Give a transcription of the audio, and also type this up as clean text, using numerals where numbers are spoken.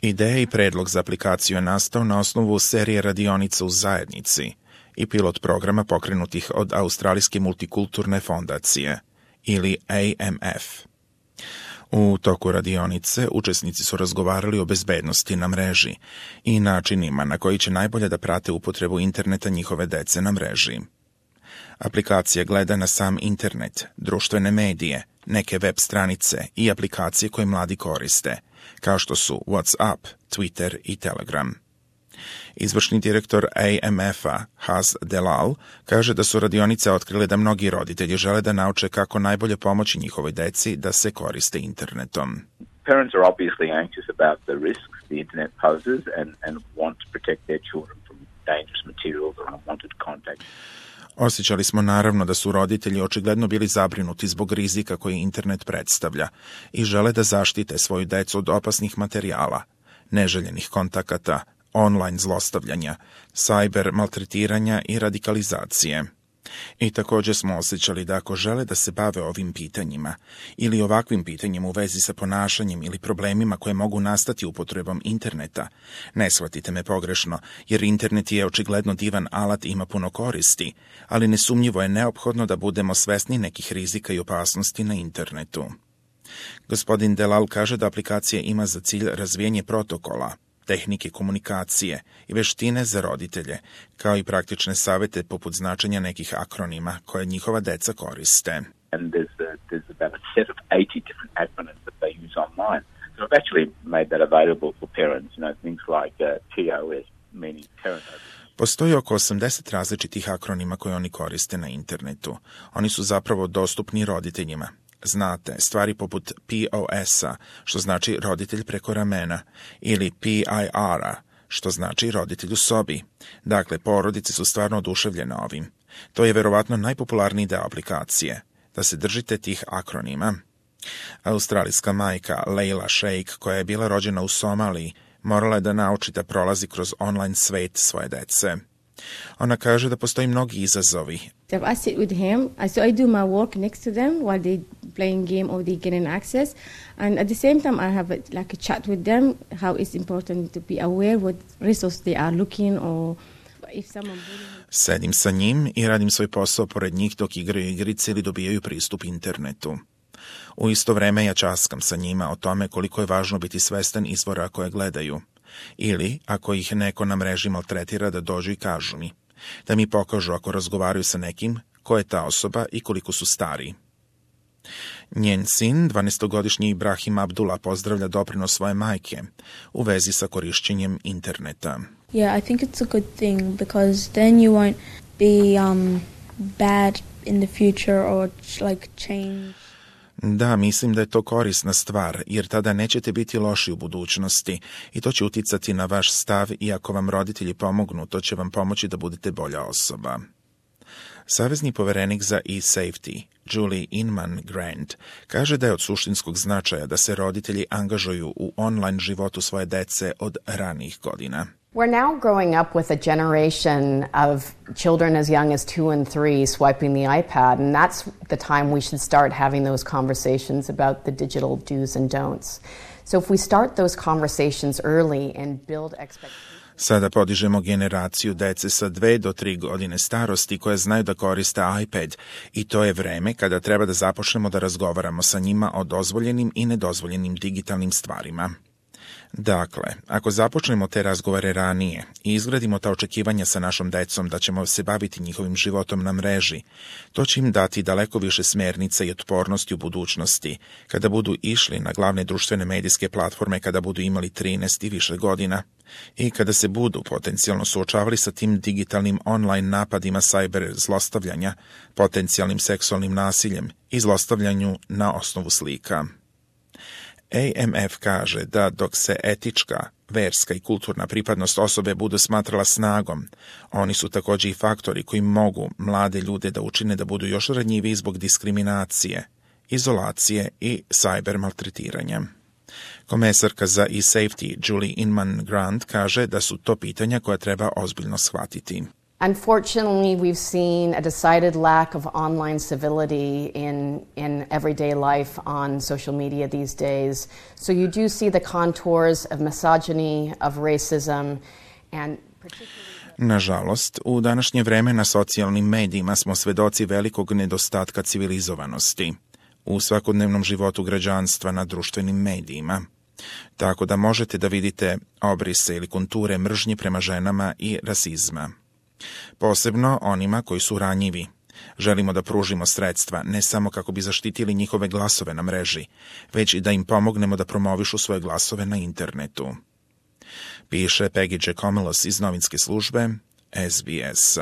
Ideja i predlog za aplikaciju je nastao na osnovu serije radionica u zajednici i pilot programa pokrenutih od Australijske multikulturne fondacije, ili AMF. U toku radionice učesnici su razgovarali o bezbednosti na mreži i načinima na koji će najbolje da prate upotrebu interneta njihove dece na mreži. Aplikacija gleda na sam internet, društvene medije, neke web stranice i aplikacije koje mladi koriste, kao što su WhatsApp, Twitter i Telegram. Izvršni direktor AMF-a, Haz Delal, kaže da su radionice otkrile da mnogi roditelji žele da nauče kako najbolje pomoći njihovoj deci da se koriste internetom. Parents are obviously anxious about the risks the internet poses and want to protect their children from dangerous materials or unwanted contact. Osjećali smo naravno da su roditelji očigledno bili zabrinuti zbog rizika koji internet predstavlja i žele da zaštite svoju decu od opasnih materijala, neželjenih kontakata, online zlostavljanja, cyber maltretiranja i radikalizacije. I također smo osjećali da ako žele da se bave ovim pitanjima ili ovakvim pitanjem u vezi sa ponašanjem ili problemima koje mogu nastati upotrebom interneta, ne shvatite me pogrešno, jer internet je očigledno divan alat i ima puno koristi, ali nesumnjivo je neophodno da budemo svesni nekih rizika i opasnosti na internetu. Gospodin Delal kaže da aplikacija ima za cilj razvijanje protokola, tehnike komunikacije i veštine za roditelje, kao i praktične savete poput značenja nekih akronima koje njihova deca koriste. And there's about a set of 80 different acronyms that they use online. So I've actually made that available for parents, things like TOS, meaning parent. Postoji oko 80 različitih akronima koje oni koriste na internetu. Oni su zapravo dostupni roditeljima. Znate, stvari poput POS-a, što znači roditelj preko ramena, ili PIR-a, što znači roditelj u sobi. Dakle, porodice su stvarno oduševljene ovim. To je verovatno najpopularniji deo aplikacije, da se držite tih akronima. Australijska majka Leila Sheikh, koja je bila rođena u Somaliji, morala je da nauči da prolazi kroz online svet svoje dece. Ona kaže da postoji mnogi izazovi. I sit with him, so I do my work next to them while they playing game or they getting access, and at the same time I have a chat with them how it's important to be aware what resources they are looking or if someone. Sedim sa njim i radim svoj posao pored njih dok igraju igrice ili dobijaju pristup internetu. U isto vreme ja časkam sa njima o tome koliko je važno biti svestan izvora koje gledaju. Ili, ako ih neko na mreži maltretira, da dođu i kažu mi. Da mi pokažu ako razgovaraju sa nekim, ko je ta osoba i koliko su stari. Njen sin, 12-godišnji Ibrahim Abdullah, pozdravlja doprinos svoje majke u vezi sa korišćenjem interneta. Yeah, I think it's a good thing because then you won't be bad in the future or change. Da, mislim da je to korisna stvar, jer tada nećete biti loši u budućnosti i to će uticati na vaš stav i ako vam roditelji pomognu, to će vam pomoći da budete bolja osoba. Savezni poverenik za e-safety, Julie Inman Grant, kaže da je od suštinskog značaja da se roditelji angažuju u online životu svoje dece od ranijih godina. We're now growing up with a generation of children as young as 2 and 3 swiping the iPad, and that's the time we should start having those conversations about the digital do's and don'ts. So if we start those conversations early and build expectations. Sada podižemo generaciju dece sa 2 do 3 godine starosti koje znaju da koriste iPad i to je vreme kada treba da započnemo da razgovaramo sa njima o dozvoljenim i nedozvoljenim digitalnim stvarima. Dakle, ako započnemo te razgovore ranije i izgradimo ta očekivanja sa našom decom da ćemo se baviti njihovim životom na mreži, to će im dati daleko više smernica i otpornosti u budućnosti, kada budu išli na glavne društvene medijske platforme kada budu imali 13 i više godina i kada se budu potencijalno suočavali sa tim digitalnim online napadima cyber zlostavljanja, potencijalnim seksualnim nasiljem i zlostavljanju na osnovu slika. AMF kaže da dok se etička, verska i kulturna pripadnost osobe budu smatrala snagom, oni su također i faktori koji mogu mlade ljude da učine da budu još ranjiviji zbog diskriminacije, izolacije i cyber maltretiranja. Komesarka za e-safety Julie Inman Grant kaže da su to pitanja koja treba ozbiljno shvatiti. Unfortunately, we've seen a decided lack of online civility in everyday life on social media these days. So you do see the contours of misogyny, of racism, and particularly... Nažalost, u današnje vreme na socijalnim medijima smo svedoci velikog nedostatka civilizovanosti u svakodnevnom životu građanstva na društvenim medijima. Tako da možete da vidite obrise ili konture mržnje prema ženama i rasizma. Posebno onima koji su ranjivi. Želimo da pružimo sredstva ne samo kako bi zaštitili njihove glasove na mreži, već i da im pomognemo da promovišu svoje glasove na internetu. Piše Peggy Giacomelos iz novinske službe SBS.